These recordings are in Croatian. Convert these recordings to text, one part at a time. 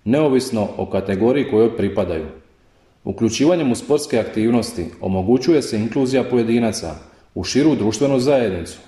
neovisno o kategoriji kojoj pripadaju. Uključivanjem u sportske aktivnosti omogućuje se inkluzija pojedinaca u širu društvenu zajednicu,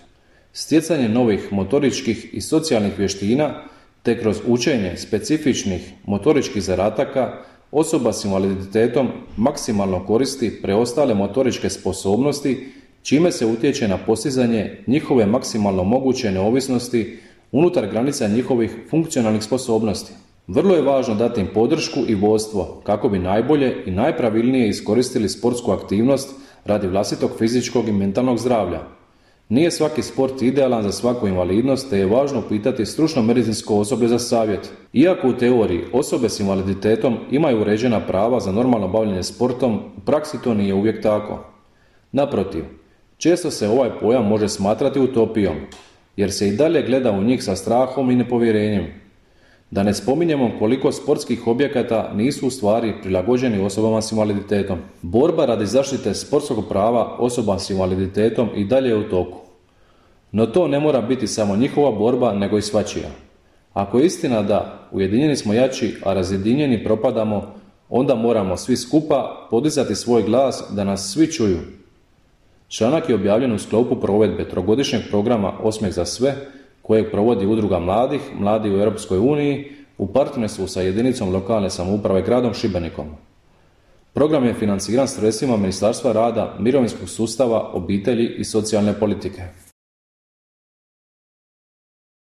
stjecanje novih motoričkih i socijalnih vještina te kroz učenje specifičnih motoričkih zadataka osoba s invaliditetom maksimalno koristi preostale motoričke sposobnosti, čime se utječe na postizanje njihove maksimalno moguće neovisnosti unutar granica njihovih funkcionalnih sposobnosti. Vrlo je važno dati im podršku i vodstvo kako bi najbolje i najpravilnije iskoristili sportsku aktivnost radi vlastitog fizičkog i mentalnog zdravlja. Nije svaki sport idealan za svaku invalidnost, te je važno pitati stručno medicinsko osoblje za savjet. Iako u teoriji osobe s invaliditetom imaju uređena prava za normalno bavljenje sportom, u praksi to nije uvijek tako. Naprotiv, često se ovaj pojam može smatrati utopijom, jer se i dalje gleda u njih sa strahom i nepovjerenjem. Da ne spominjemo koliko sportskih objekata nisu u stvari prilagođeni osobama s invaliditetom. Borba radi zaštite sportskog prava osoba s invaliditetom i dalje je u toku. No to ne mora biti samo njihova borba, nego i svačija. Ako je istina da ujedinjeni smo jači, a razjedinjeni propadamo, onda moramo svi skupa podizati svoj glas da nas svi čuju. Članak je objavljen u sklopu provedbe trogodišnjeg programa Osmijeh za sve, kojeg provodi Udruga mladih, Mladi u Europskoj uniji, u partnerstvu sa jedinicom lokalne samouprave gradom Šibenikom. Program je financiran sredstvima Ministarstva rada, mirovinskog sustava, obitelji i socijalne politike.